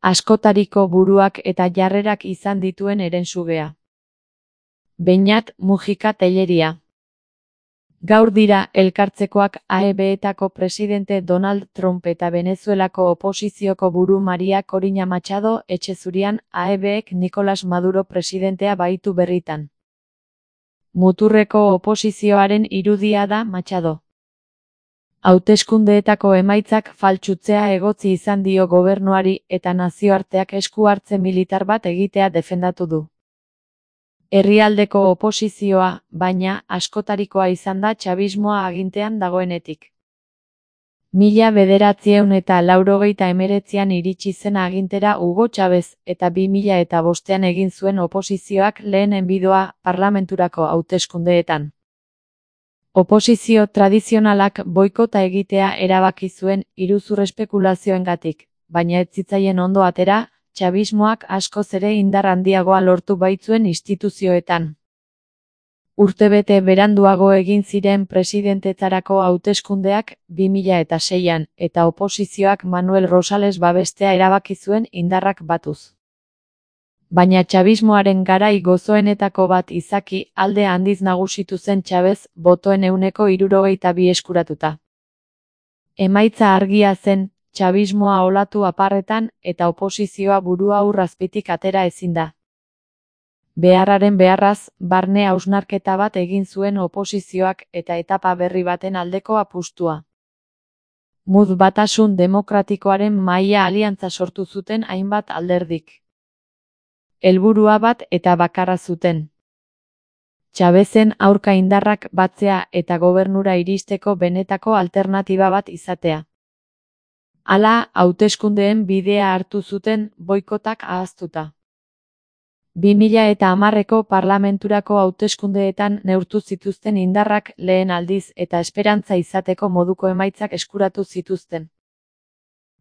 askotariko buruak eta jarrerak izan dituen herensugea. Beñat Mujika Tellería. Gaur dira elkartzekoak AEB-etako presidente Donald Trump eta Venezuelako oposizioko buru Maria Corina Machado etxezurian AEB-ek Nicolás Maduro presidentea baitu berritan. Muturreko oposizioaren irudia da Machado. Hauteskundeetako emaitzak faltsutzea egotzi izan dio gobernuari eta nazioarteak esku hartze militar bat egitea defendatu du. Herrialdeko oposizioa, baina, askotarikoa izan da txabismoa agintean dagoenetik. 1989an iritsi zen agintera Hugo Chávez eta 2005an egin zuen oposizioak lehen enbidoa parlamenturako hauteskundeetan. Oposizio tradizionalak boikota egitea erabaki zuen iruzur espekulazioengatik, baina ez zitzaien ondo atera, txabismoak askoz ere indar handiagoa lortu baitzuen instituzioetan. Urtebete beranduago egin ziren presidentetzarako hauteskundeak 2006an eta oposizioak Manuel Rosales babestea erabaki zuen indarrak batuz. Baina txabismoaren garai gozoenetako bat izaki alde handiz nagusitu zen Chávez botoen 62 eskuratuta. Emaitza argia zen, txabismoa olatu aparretan eta oposizioa burua ur azpitik atera ezin da. Beharraren beharraz, barne hausnarketa bat egin zuen oposizioak eta etapa berri baten aldeko apustua. Mud Batasun Demokratikoaren mahaia aliantza sortu zuten hainbat alderdik. Helburua bat eta bakarra zuten. Chavezen aurka indarrak batzea eta gobernura iristeko benetako alternatiba bat izatea. Hala, hauteskundeen bidea hartu zuten boikotak ahaztuta. 2010ko parlamenturako hauteskundeetan neurtu zituzten indarrak lehen aldiz eta esperantza izateko moduko emaitzak eskuratu zituzten.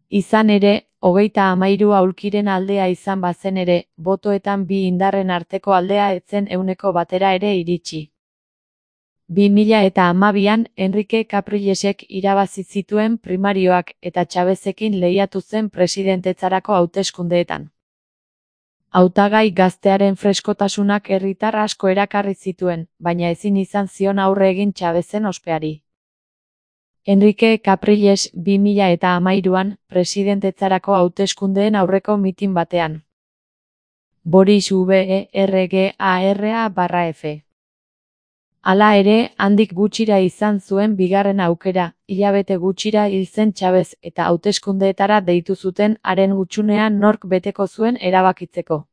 Izan ere, 33 aulkiren aldea izan bazen ere, botoetan bi indarren arteko aldea etzen 100% ere iritsi. 2012an Enrique Caprilesek irabazi zituen primarioak eta Chávezekin lehiatu zen presidentetzarako hauteskundeetan. Hautagai gaztearen freskotasunak herritar asko erakarri zituen, baina ezin izan zion aurre egin Chávezen ospeari. Enrique Capriles 2013an presidentetzarako hauteskundeen aurreko mitin batean. Boris Vergara/F. Hala ere, handik gutxira izan zuen bigarren aukera, hilabete gutxira hil zen Chávez eta hauteskundeetara deitu zuten haren hutsunean nork beteko zuen erabakitzeko.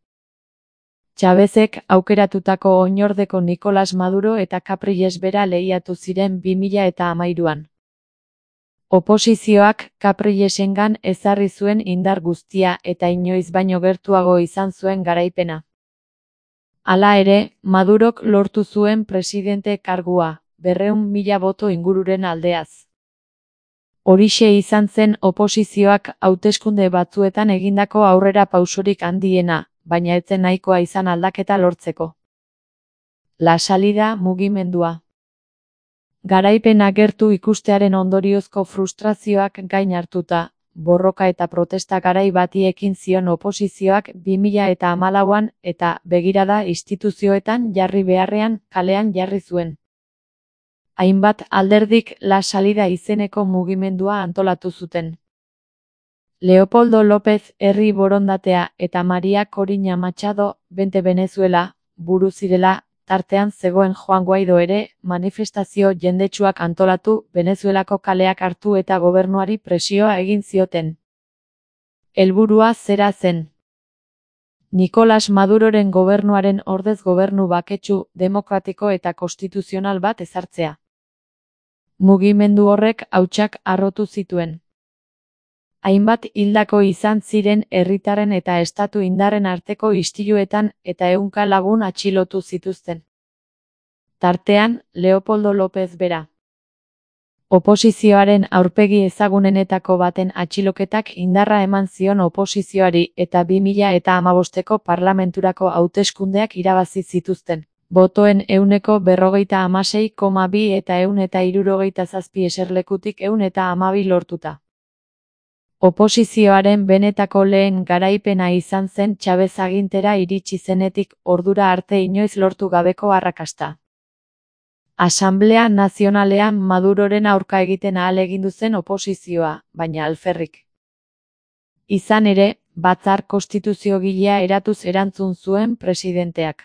Chávezek aukeratutako oinordeko Nicolás Maduro eta Capriles bera lehiatu ziren 2013an. Oposizioak Caprilesengan ezarri zuen indar guztia eta inoiz baino gertuago izan zuen garaipena. Hala ere, Madurok lortu zuen presidente kargua, 200.000 boto ingururen aldeaz. Horixe izan zen oposizioak hauteskunde batzuetan egindako aurrera pausorik handiena, baina ez zen nahikoa izan aldaketa lortzeko. La Salida mugimendua. Garaipena gertu ikustearen ondoriozko frustrazioak gain hartuta, borroka eta protesta garai bati ekin zion oposizioak 2014an eta begirada instituzioetan jarri beharrean kalean jarri zuen. Hainbat alderdik La Salida izeneko mugimendua antolatu zuten. Leopoldo López herri borondatea eta Maria Corina Machado Vente Venezuela buru zirela, tartean zegoen Juan Guaido ere, manifestazio jendetsuak antolatu, Venezuelako kaleak hartu eta gobernuari presioa egin zioten. Helburua zera zen. Nicolás Maduroren gobernuaren ordez gobernu baketsu, demokratiko eta konstituzional bat ezartzea. Mugimendu horrek hautsak harrotu zituen. Hainbat hildako izan ziren herritarren eta estatu indarren arteko istiluetan eta 100 lagun atxilotu zituzten. Tartean, Leopoldo López bera. Oposizioaren aurpegi ezagunenetako baten atxiloketak indarra eman zion oposizioari eta 2015ko parlamenturako hauteskundeak irabazi zituzten. Botoen 156,2 eta 167 eserlekutik 112 lortuta. Oposizioaren benetako lehen garaipena izan zen Chavez agintera iritsi zenetik ordura arte inoiz lortu gabeko arrakasta. Asanblea Nazionalean Maduroren aurka egiten ahalegindu zen oposizioa, baina alferrik. Izan ere, batzar konstituziogilea eratuz erantzun zuen presidenteak.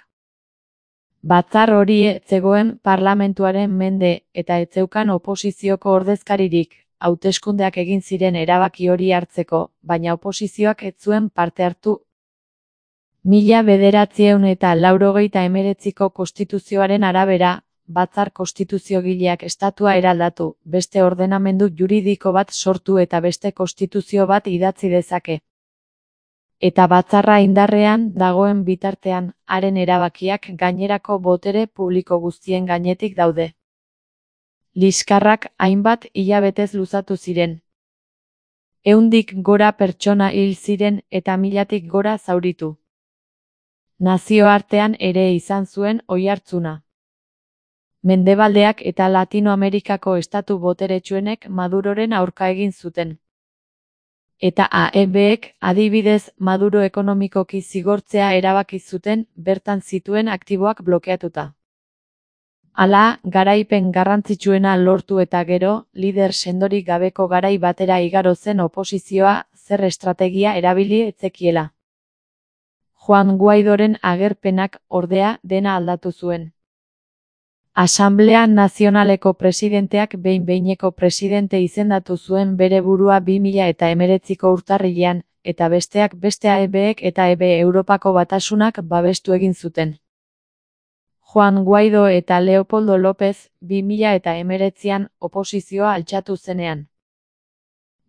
Batzar hori ez zegoen parlamentuaren mende eta ez zeukan oposizioko ordezkaririk, hauteskundeak egin ziren erabaki hori hartzeko, baina oposizioak ez zuen parte hartu. 1989ko konstituzioaren arabera, batzar konstituziogileak estatua eraldatu, beste ordenamendu juridiko bat sortu eta beste konstituzio bat idatzi dezake. Eta batzarra indarrean dagoen bitartean, haren erabakiak gainerako botere publiko guztien gainetik daude. Liskarrak hainbat hilabetez luzatu ziren. 100tik gora pertsona hil ziren eta 1000tik gora zauritu. Nazioartean ere izan zuen oihartzuna. Mendebaldeak eta Latinoamerikako estatu boteretsuenek Maduroren aurka egin zuten. Eta AEBek, adibidez, Maduro ekonomikoki zigortzea erabaki zuten bertan zituen aktiboak blokeatuta. Hala, garaipen garrantzitsuena lortu eta gero, lider sendorik gabeko garai batera igaro zen oposizioa, zer estrategia erabili ez zekiela. Juan Guaidoren agerpenak, ordea, dena aldatu zuen. Asanblea Nazionaleko presidenteak behin-behineko presidente izendatu zuen bere burua 2019ko urtarrilean, eta besteak beste AEBek eta EB Europako Batasunak babestu egin zuten. Juan Guaido eta Leopoldo López 2019an oposizioa altxatu zenean.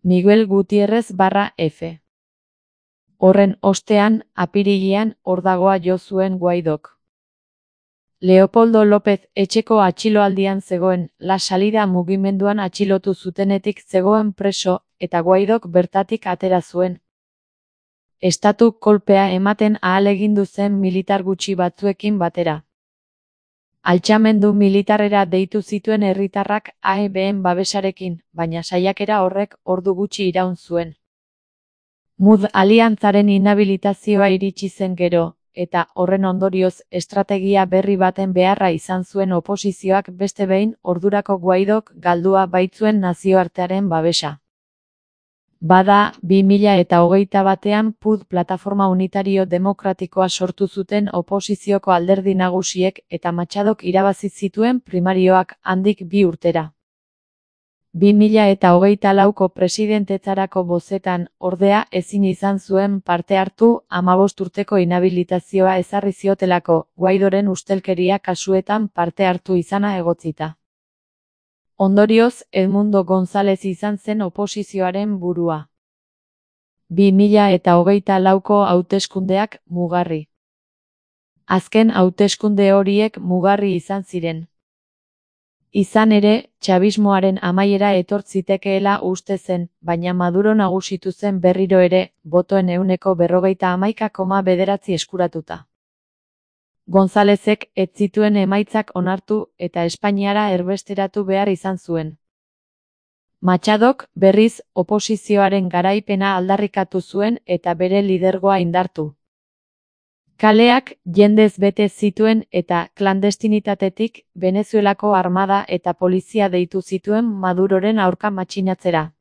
Miguel Gutiérrez /F. Horren ostean, apirilean, ordagoa jo zuen Guaidok. Leopoldo López etxeko atxiloaldian zegoen, La Salida mugimenduan atxilotu zutenetik zegoen preso, eta Guaidok bertatik atera zuen. Estatu kolpea ematen ahalegindu zen militar gutxi batzuekin batera. Altxamendu militarrera deitu zituen herritarrak AEBen babesarekin, baina saiakera horrek ordu gutxi iraun zuen. MUD aliantzaren inhabilitazioa iritsi zen gero, eta horren ondorioz estrategia berri baten beharra izan zuen oposizioak beste behin ordurako Guaidok galdua baitzuen nazioartearen babesa. Bada, 2021an PUD Plataforma Unitario Demokratikoa sortu zuten oposizioko alderdi nagusiek eta Machadok irabazi zituen primarioak handik 2 urtera. 2024ko presidentetzarako bozetan, ordea, ezin izan zuen parte hartu 15 urteko inhabilitazioa ezarri ziotelako, Guaidoren ustelkeria kasuetan parte hartu izana egotzita. Ondorioz, Edmundo González izan zen oposizioaren burua. 2024ko hauteskundeak mugarri. Azken hauteskunde horiek mugarri izan ziren. Izan ere, txabismoaren amaiera etortzitekeela uste zen, baina Maduro nagusitu zen berriro ere, botoen 51,9% eskuratuta. Gonzálezek ez zituen emaitzak onartu eta Espainiara erbesteratu behar izan zuen. Machadok, berriz, oposizioaren garaipena aldarrikatu zuen eta bere lidergoa indartu. Kaleak jendez bete zituen eta klandestinitatetik Venezuelako armada eta polizia deitu zituen Maduroren aurka matxinatzera.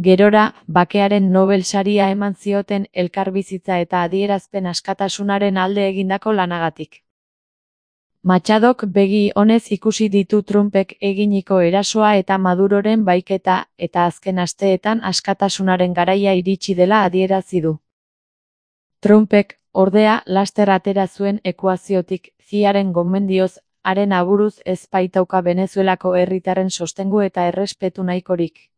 Gerora, bakearen Nobel saria eman zioten elkarbizitza eta adierazpen askatasunaren alde egindako lanagatik. Machadok begi onez ikusi ditu Trumpek eginiko erasoa eta Maduroren baiketa eta azken asteetan askatasunaren garaia iritsi dela adierazi du. Trumpek, ordea, laster atera zuen ekuaziotik, CIA-ren gomendioz, haren aburuz ez baitauka Venezuelako herritarren sostengu eta errespetu nahikorik.